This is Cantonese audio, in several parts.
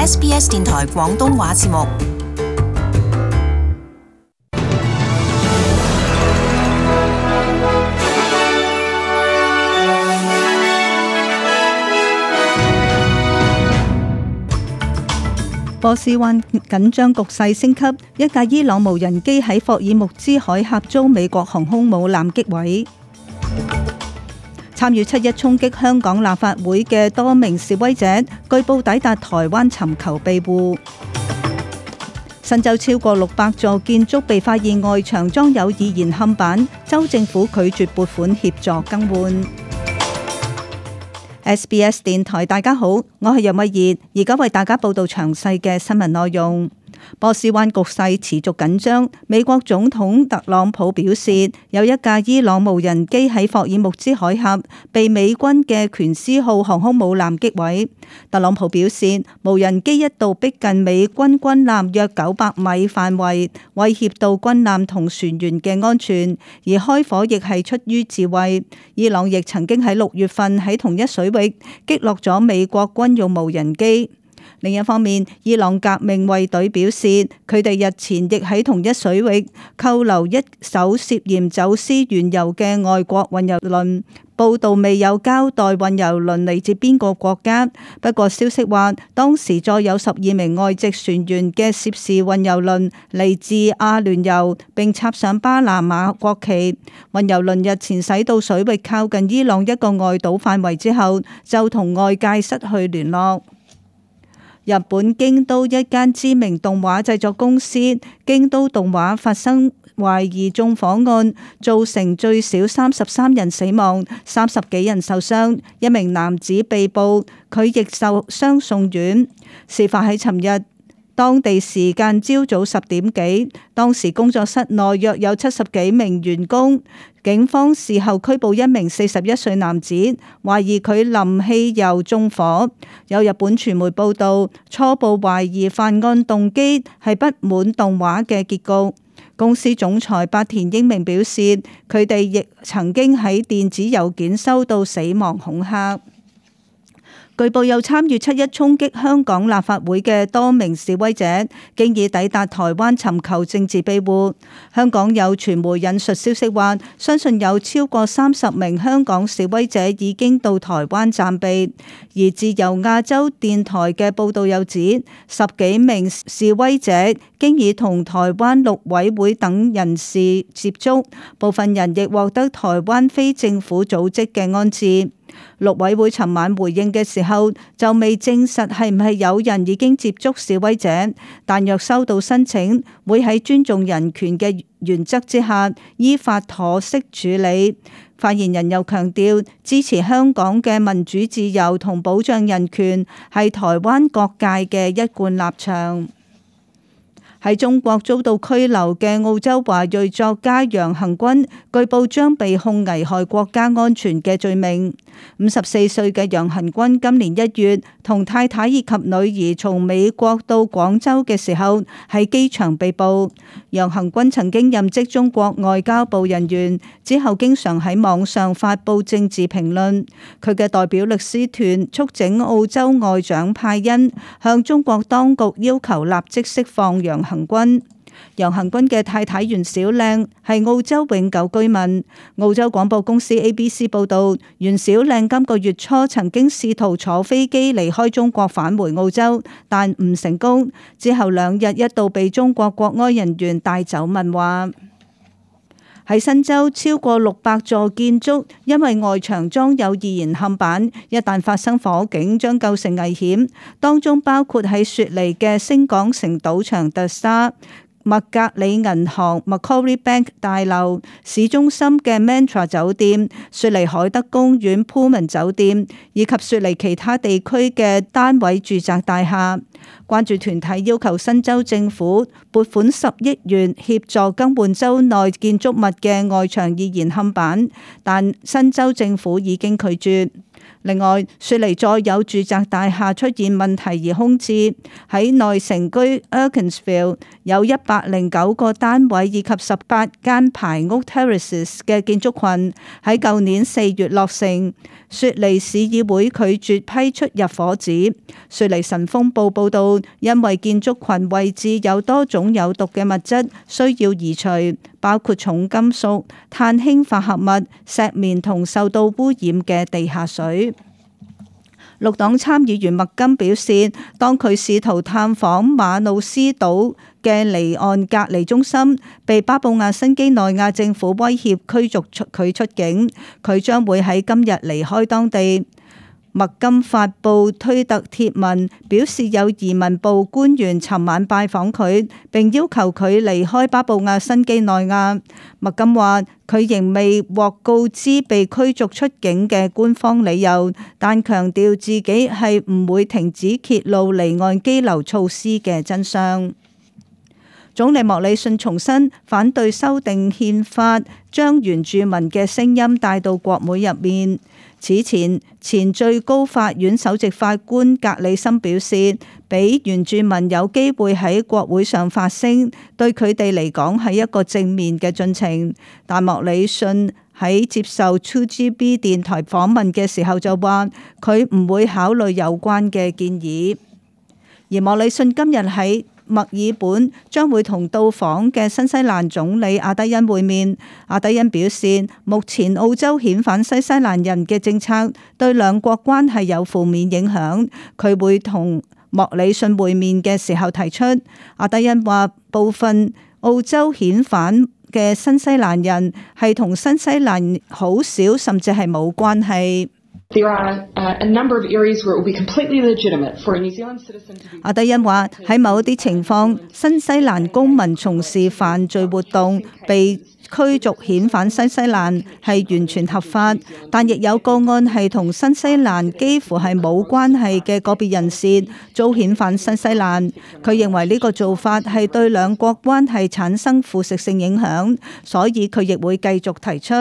SBS 電台廣東話節目。波斯灣緊張局勢升級，一架伊朗無人機喺霍爾木茲海峽遭美國航空母艦擊毀。參與7·1衝擊香港立法會嘅多名示威者，據報抵達台灣尋求庇護。新州超過600座建築被發現外牆裝有易燃嵌板，州政府拒絕撥款協助更換。SBS 電台，大家好，我係楊慧儀，而家為大家報道詳細嘅新聞內容。波斯灣局勢持續緊張，美國總統特朗普表示，有一架伊朗無人機喺霍爾木茲海峽被美軍嘅權師號航空母艦擊毀。特朗普表示，無人機一度逼近美軍軍艦約900米範圍，威脅到軍艦同船員嘅安全，而開火亦係出於自衛。伊朗亦曾經喺6月份喺同一水域擊落咗美國軍用無人機。另一方面，伊朗革命衛隊表示，佢哋日前亦喺同一水域扣留一艘涉嫌走私原油嘅外國運油輪。報道未有交代運油輪嚟自邊個國家，不過消息話，當時載有12名外籍船員嘅涉事運油輪嚟自阿聯酋，並插上巴拿馬國旗。運油輪日前駛到水域靠近伊朗一個外島範圍之後，就同外界失去聯絡。日本京都一間知名動畫製作公司京都動畫發生懷疑縱火案，造成最少33人死亡，30幾人受傷，一名男子被捕，佢亦受傷送院。事發喺尋日當地時間朝早10點幾，當時工作室內約有70幾名員工。警方事後拘捕一名41歲男子，懷疑佢淋汽油縱火。有日本傳媒報道，初步懷疑犯案動機係不滿動畫嘅結局。公司總裁八田英明表示，佢哋亦曾經喺電子郵件收到死亡恐嚇。據報有參與7·1衝擊香港立法會嘅多名示威者，經已抵達台灣尋求政治庇護。香港有傳媒引述消息話，相信有超過30名香港示威者已經到台灣暫避。而自由亞洲電台嘅報導又指，10幾名示威者經已同台灣陸委會等人士接觸，部分人亦獲得台灣非政府組織嘅安置。陸委會尋晚回應嘅時候就未證實係唔係有人已經接觸示威者，但若收到申請，會喺尊重人權嘅原則之下依法妥適處理。發言人又強調，支持香港嘅民主自由同保障人權係台灣各界嘅一貫立場。喺中國遭到拘留嘅澳洲華裔作家楊恆均，據報將被控危害國家安全嘅罪名。54歲嘅楊恆均今年1月同太太以及女兒從美國到廣州嘅時候，喺機場被捕。楊恆均曾經任職中國外交部人員，之後經常喺網上發布政治評論。佢嘅代表律師團促請澳洲外長派恩向中國當局要求立即釋放楊恆均。楊恆均嘅太太袁小靚係澳洲永久居民。澳洲廣播公司 ABC 報道，袁小靚今個月初曾經試圖坐飛機離開中國返回澳洲，但唔成功。之後2日一度被中國國安人員帶走問話。喺新州超過600座建築因為外牆裝有易燃嵌板，一旦發生火警將構成危險，當中包括喺雪梨嘅星港城賭場特莎、麥格里銀行 Macquarie Bank 大樓、市中心嘅 Mantra 酒店、雪梨海德公園 Pullman 酒店以及雪梨其他地區嘅單位住宅大廈。關注團體要求新州政府撥款10億元協助更換州內建築物嘅外牆易燃嵌板，但新州政府已經拒絕。另外，雪梨再有住宅大廈出現問題而空置，喺內城區 Erkinsville 有109個單位以及18間排屋 terraces 嘅建築群喺舊年4月落成，雪梨市議會拒絕批出入伙紙。雪梨晨鋒報報道，因為建築群位置有多種有毒嘅物質需要移除，包括重金屬、碳氫化合物、石棉同受到污染嘅地下水。綠黨參議員麥金表示，當佢試圖探訪馬努斯島嘅離岸隔離中心，被巴布亞新畿內亞政府威脅驅逐佢出境，佢將會喺今日離開當地。麥金發布推特貼文，表示有移民部官員尋晚拜訪佢，並要求佢離開巴布亞新畿內亞。麥金話佢仍未獲告知被驅逐出境嘅官方理由，但強調自己係唔會停止揭露離岸羈留措施嘅真相。總理莫里遜重申反對修訂憲法，將原住民嘅聲音帶到國會入面。此前，前最高法院首席法官格里森表示，俾原住民有機會喺國會上發聲，對佢哋嚟講係一個正面嘅進程。但莫里遜喺接受 2GB 電台訪問嘅時候就話，佢唔會考慮有關嘅建議。而莫里遜今日喺墨爾本將會同到訪嘅新西蘭總理阿德恩會面。阿德恩表示，目前澳洲遣返新西蘭人嘅政策對兩國關係有負面影響。佢會同莫里遜會面嘅時候提出。阿德恩話，部分澳洲遣返嘅新西蘭人係同新西蘭好少甚至係冇關係。阿德恩話，喺某一啲情況，新西蘭公民從事犯罪活動被驅逐遣返新西蘭係完全合法，但亦有個案係同新西蘭幾乎係冇關係嘅個別人士遭遣返新西蘭。佢認為呢個做法係對兩國關係產生腐蝕性影響，所以佢亦會繼續提出。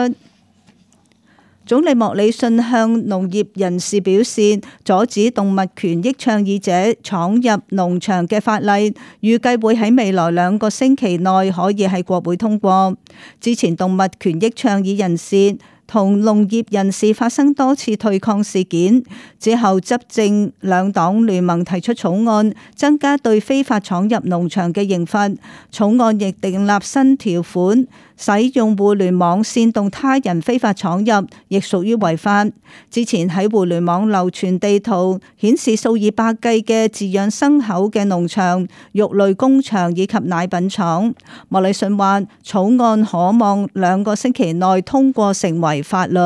總理莫里遜向農業人士表示，阻止動物權益倡議者闖入農場嘅法例，預計會喺未來2個星期內可以喺國會通過。之前動物權益倡議人士同農業人士發生多次對抗事件之後，執政兩黨聯盟提出草案，增加對非法闖入農場嘅刑罰。草案亦訂立新條款，使用互聯網煽動他人非法闖入，亦屬於違法。之前喺互聯網流傳地圖，顯示數以百計嘅飼養牲口嘅農場、肉類工場以及奶品廠。莫里遜話，草案可望2個星期內通過成為法律。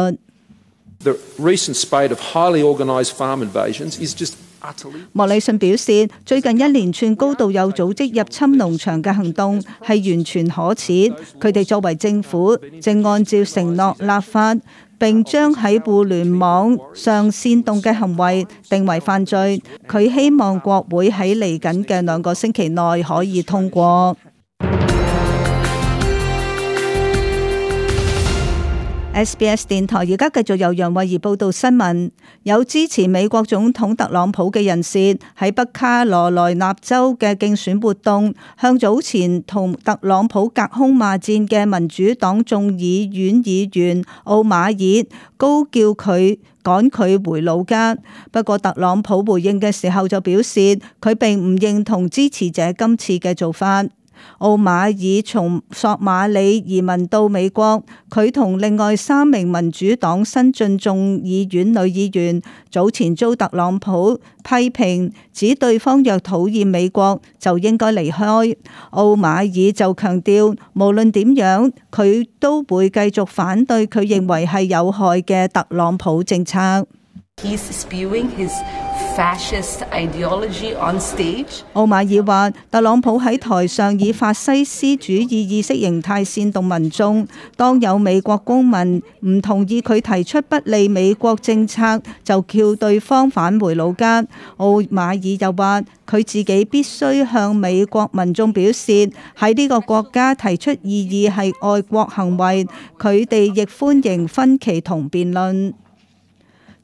莫里遜表示，最近一連串高度有組織入侵農場嘅行動係完全可恥。佢哋作為政府，正按照承諾立法，並將喺互聯網上煽動嘅行為定為犯罪。佢希望國會喺嚟緊嘅2個星期內可以通過。SBS 電台而家繼續由楊慧儀報道新聞。有支持美國總統特朗普嘅人士喺北卡羅來納州嘅競選活動，向早前同特朗普隔空罵戰嘅民主黨眾議院議員奧馬爾高叫佢趕佢回老家。不過特朗普回應嘅時候就表示，佢並唔認同支持者今次嘅做法。奧馬爾從索馬里移民到美國，佢同另外3名民主黨新晉眾議院女議員早前遭特朗普批評，指對方若討厭美國就應該離開。奧馬爾就強調，無論點樣，佢都會繼續反對佢認為係有害嘅特朗普政策。He's spewing his fascist ideology on stage. 奧馬爾話，特朗普喺台上以法西斯主義意識形態煽動民眾，當有美國公民唔同意佢提出不利美國政策，就叫對方返回老家。奧馬爾又話，佢自己必須向美國民眾表示，喺呢個國家提出異議係愛國行為，佢哋亦歡迎分歧同辯論。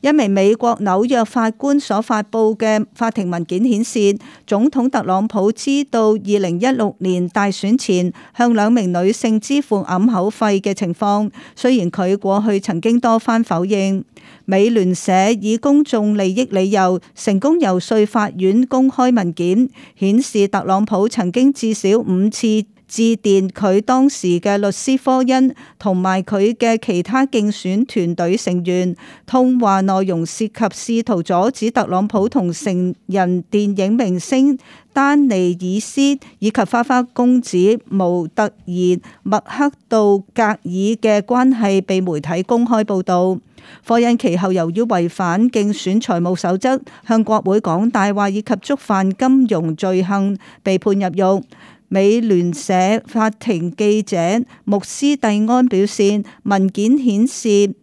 一名美國紐約法官所發布嘅法庭文件顯示，總統特朗普知道2016年大選前向2名女性支付掩口費嘅情況，雖然佢過去曾經多番否認。美聯社以公眾利益理由成功遊說法院公開文件，顯示特朗普曾經至少5次致電佢當時嘅律師科恩同埋佢嘅其他競選團隊成員，通話內容涉及試圖阻止特朗普同成人電影明星丹尼爾斯以及花花公子模特兒麥克道格爾嘅關係被媒體公開報導。科恩其後由於違反競選財務守則、向國會講大話以及觸犯金融罪行，被判入獄。美聯社法庭記者穆斯蒂安表示，文件顯示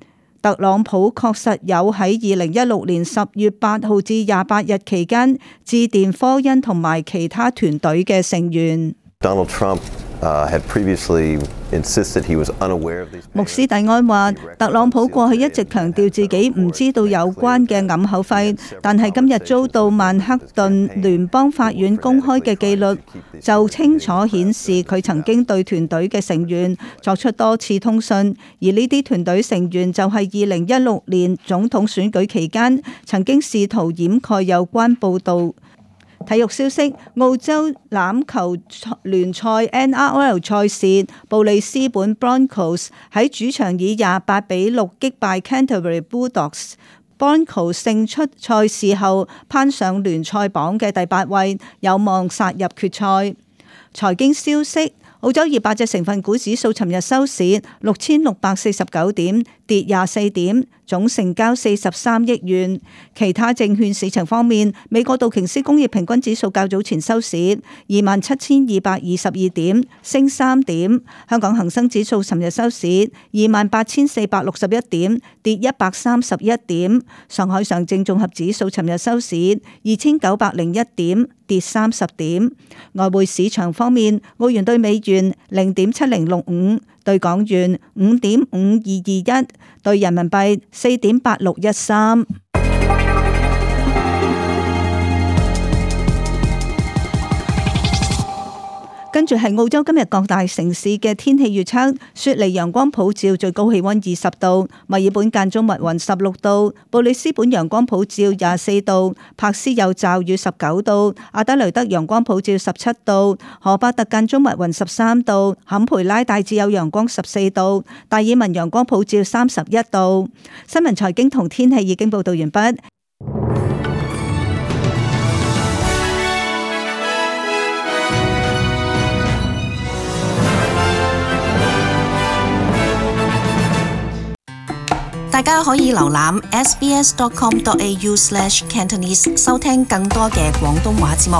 特朗普確實有喺2016年10月8號至28日期間致電科恩同埋其他團隊嘅成員。Donald Trump had previously insisted he was unaware of these. 穆斯蒂安話，特朗普過去一直強調自己唔知道有關嘅掩口費，但係今日遭到曼克頓聯邦法院公開嘅記錄，就清楚顯示佢曾經對團隊嘅成員作出多次通訊，而呢啲團隊成員就係2016年總統選舉期間曾經試圖掩蓋有關報導。體育消息：澳洲欖球聯賽 NRL 賽事，布里斯本 Broncos 喺主場以28-6擊敗 Canterbury Bulldogs。Broncos 勝出賽事後，攀上聯賽榜嘅第8位，有望殺入決賽。財經消息：澳洲200隻成分股指數尋日收市6649點，跌24點，總成交43億元。其他證券市場方面，美國道瓊斯工業平均指數較早前收市27222點，升3點。香港恒生指數尋日收市28461點，跌131點。上海上證綜合指數尋日收市2901點，跌30點。外匯市場方面，澳元對美元0.7065，對港元5.5221，對人民幣4.8613。跟住係澳洲今日各大城市嘅天氣預測：雪梨陽光普照，最高氣溫20度；墨爾本間中密雲16度；布里斯本陽光普照24度；柏斯有驟雨19度；阿德雷德陽光普照17度；荷巴特間中密雲13度；坎培拉大致有陽光14度；達爾文陽光普照31度。新聞財經同天氣已經報道完畢。大家可以瀏覽 sbs.com.au/cantonese 收聽更多嘅廣東話節目。